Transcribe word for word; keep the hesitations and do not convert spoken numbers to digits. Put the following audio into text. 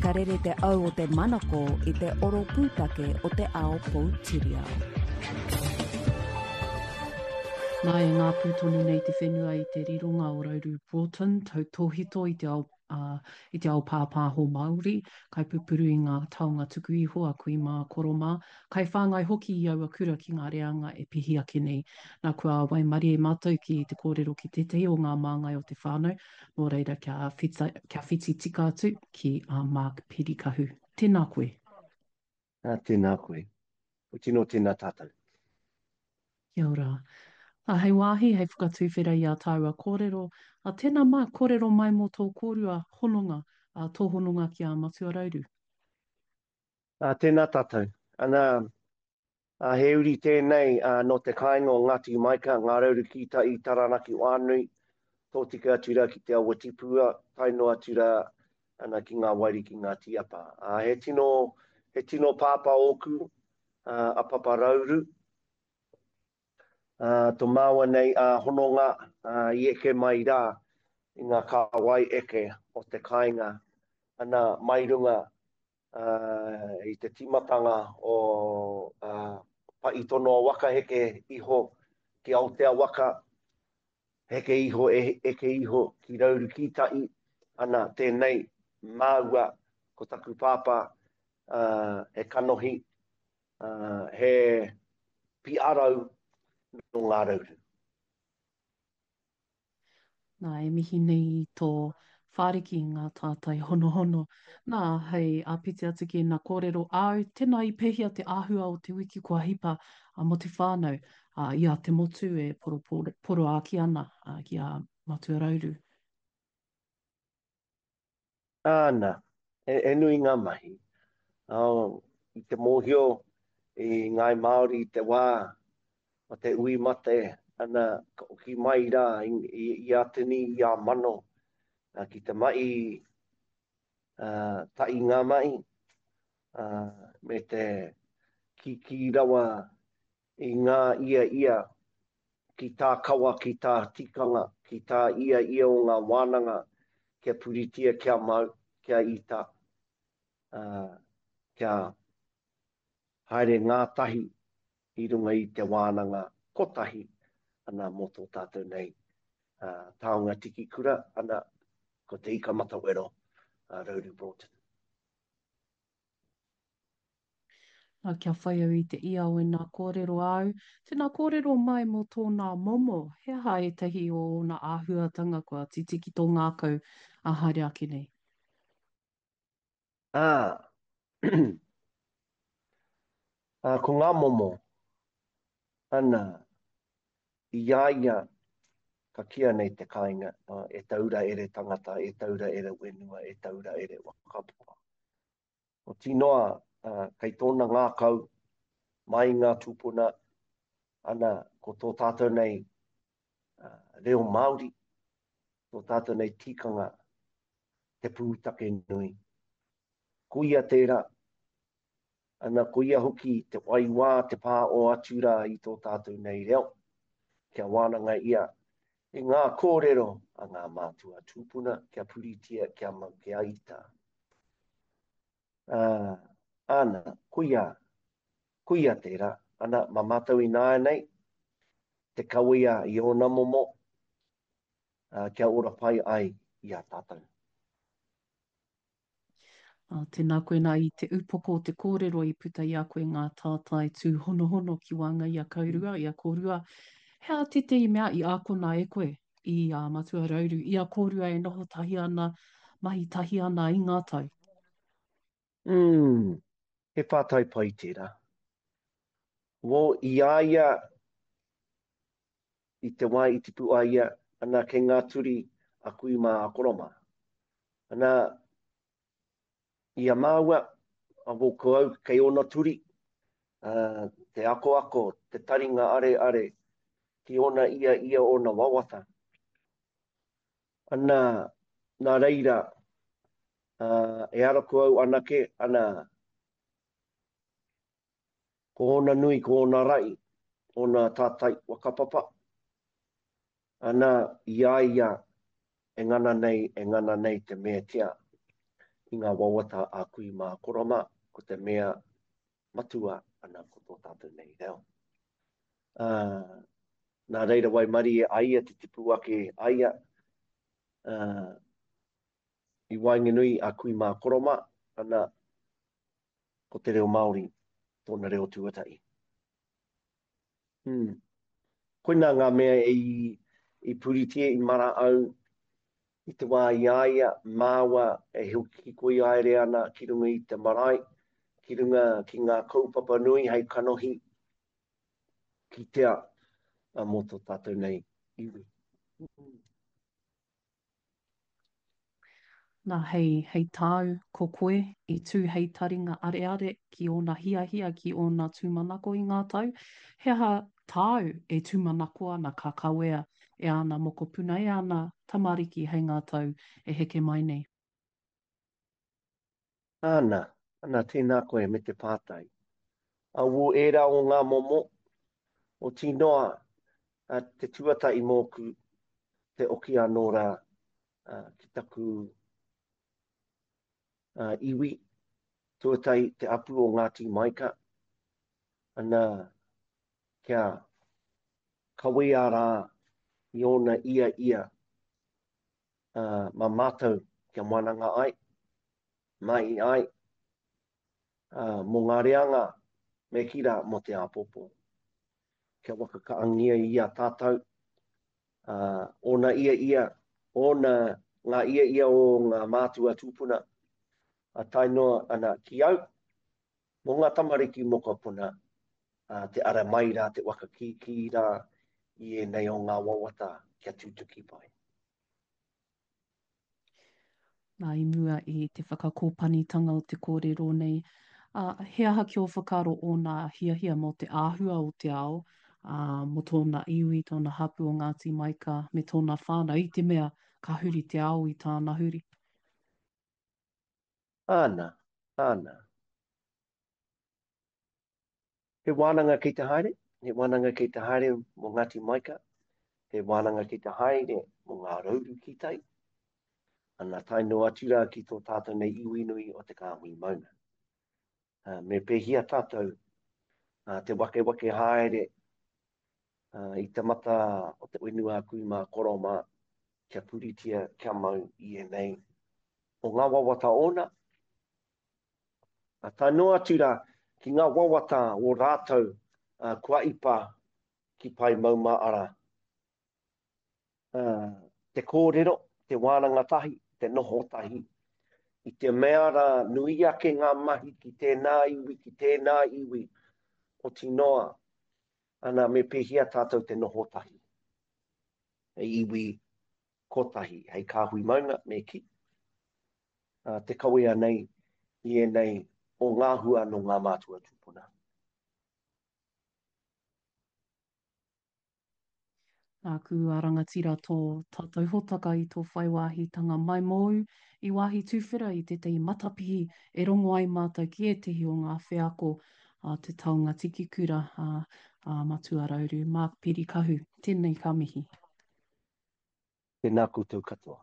Ka rere te au o te manako i te oro pūtake o te ao poutiriao. Nā, e ngāpū tonu nei te whenua i te rironga o Rauru Broughton, tautōhito i te ao, ā, i te ao pāpāho Māori, kaipupuru i ngā taonga tuku iho a kui mā, koro mā, kaiwhāngai hoki i aua kura ki ngā reanga e pihi ake nei. Nā, kua waimarie mātou ki te kōrero ki tētahi o ngā māngai o te whānau, Nō reira, kia, whita, kia whiti tika atu ki a Mark Pirikahu. Tēnā koe. Ah, tēnā koe. Ko tino tēnā tātou. Kia ora. A, hei wāhi, hei whakatuwhera i ā tāua kōrero. A, tēnā Mark, kōrero mai mō tō kōrua hononga, a, tō hononga ki a Matua Rauru. A, tēnā tātou. Ana, a, he uri tēnei a, nō te kāinga o Ngāti Maika, Ngā Rauru ki Tai, Taranaki Whānui, tōtika atu rā ki Te Awa Tipua, tae noa atu rā ana ki ngā wairiki Ngāti Apa. A, he tino, he tino pāpā ōku, a, a Papa Rauru. A, to māua nei a hononga a, i eke mai rā i ngā kāwai eke o te kāinga, ana mai runga i te tīmatanga o Paʻi-tonoa waka heke iho ki Aotea waka, heke iho, eke iho ki Rauru ki Tai, ana tēnei māua ko taku pāpā he kanohi, he piarau nō Ngā Rauru. Nā, e mihi nei i tō whāriki i ngā tātai honohono. Nā, hei āpiti atu ki ēnā kōrero āu, tēnā i pēhea te āhua o te wiki kua hipa mō te whānau, ā, i a te motu e poroāki ana ki a Matua Rauru? Āna, he, he nui ngā mahi. Oh, i te mōhio i Ngāi Māori i te wā o te ui mate, ana, ka oki mai rā i, i, i a tini, i a mano, a, ki te mahi uh, tahi ngā mahi, uh, me te kīkī rawa i ngā ia ia ki tā kawa, ki tā tikanga, ki tā ia ia o ngā wānanga, kia puritia, kia mau, kia ita, uh, kia haere ngātahi i runga i te wānanga kotahi, ana mō tō tātou nei uh, taonga tiki kura, ana ko te ika matawero, uh, Rauru Broughton. Nā, kia whai au i te ia o ēnā kōrero āu, tēnā kōrero mai mō tōnā momo, he aha ētahi o ōna āhuatanga kua titi ki tō ngākau ā haere ake nei? Ā, ā, ko ngā momo, ana, i a ia ka kīa nei te kāinga, e taura ere tangata, e taura ere whenua, e taura ere whakapapa. Oti noa, kei tōna ngākau, mai i ngā tūpuna, ana, ko tō tātou nei reo Māori, tō tātou nei tikanga, te pūtake nui. Ko ia tērā, ana, ko ia hoki te waiwā, te pā o atu rā i tō tātou nei reo, kia wānanga ia i ngā kōrero a ngā mātua tūpuna, kia puritia, kia mau, kia ita. Uh, ana, koia, koia tērā, ana, mā mātou ināianei, te kawea i ōna momo, uh, kia ora pai ai i a tātou. Uh, tēnā koe nā i te upoko o te kōrero i puta i a koe ngā tātai tūhonohono ki waenga i a kaurua, i a kōrua. He aha tētehi mea i ākona e koe i a Matua Rauru, i a kōrua e noho tahi ana, mahi tahi ana i ngā tau? Mm, he pātai pai tērā. Wō, i a ia, i te wā i tipu ai ia, ana kei ngā turi a kui mā a koro mā. Ana, i a māua, a wō ko au kei ōna turi, uh, te akoako, te taringa areare, ki ōna ia ia ōna wawata. Ana, nā reira, uh, e ara ko au anake, ana, ko ōna nui, ko ōna rai, ōna tātai whakapapa, ana, i a ia e ngana nei, e ngana nei te meatia i ngā wawata a kui mā koro mā, ko te mea matua ana ko tō tātou nei reo. Uh, nā reira waimarie a ia te tipu ake a ia, uh, i waenganui a kui mā koro mā, ana ko te reo Māori tōna reo tuatahi. Hmm. Koinā ngā mea i, i puritia, i mara au i te wā i a ia, māua e hikoi haere ana ki runga i te marae, ki runga ki ngā kaupapa nui hei kanohi kitea mō tō tātou nei iwi. Nā, hei, hei tāu, ko koe i tū hei taringa areare ki ōna hiahia, ki ōna tūmanako i ngā tau. He aha tāu e tūmanako ana ka kawea e āna mokopuna, e āna tamariki hei ngā tau e heke mai nei? Āna, ana, tēnā koe me te pātai. Awo ērā o ngā momo, oti noa te tuatahi mōku, te oki anō rā ki taku iwi, tuatahi te apu o Ngāti Maika, ana kia kawea rā i ōna ia ia mā mātou kia wananga ai, mahi ai, mō ngā reanga me kī rā mō te āpōpō. Kia wakakaangia i a tātou, ōna ia ia, ōna ngā ia ia o ngā mātua tūpuna, a tae noa ana ki au, mō ngā tamariki mokopuna, te ara mai rā, te waka kīkī rā i ēnei o ngā wawata kia tutuki pai. Nā, i mua i te whakakōpanitanga o te kōrero nei, ā, he aha ki ō whakaaro ōna hiahia mō te āhua o te ao, ā, mō tōna iwi, tōna hapū o Ngāti Maika me tōna whānau, i te mea ka huri te ao i tāna huri? Āna, āna. He wānanga kei te haere, he wānanga kei te haere mō Ngāti Maika, he wānanga kei te haere mō Ngā Rauru ki tai, ana tae noa atu rā ki tō tātou nei iwi nui o te Kāhui Maunga. Uh, me pēhia tātou uh, te wakewake haere uh, i te mata o te whenua kui mā koro mā, kia puritia, kia mau i ēnei o ngā wawata ōna. A tae noa atu rā ki ngā wawata o rātou uh, kua ipa ki Pae Maumāara. Uh, te kōrero, te wānanga tahi, te noho tahi, i te mea rā nui ake ngā mahi ki tēnā iwi, ki tēnā iwi, oti noa, ana me pēhea tātou te noho tahi. Hei iwi kotahi, hei kāhui maunga, me ki. Uh, te kawea nei i ēnei o ngā hua nō ngā mātua tūpuna. Nāku a rangatira tō tātou hōtaka i tō whai wāhitanga mai mōu i wāhi tuwhera i tētahi matapihi e rongo ai mātou ki ētehi o ngā wheako a te taonga tiki kura a, a Matua Rauru, Mark Pirikahu. Tēnei ka mihi. Tēnā koutou katoa.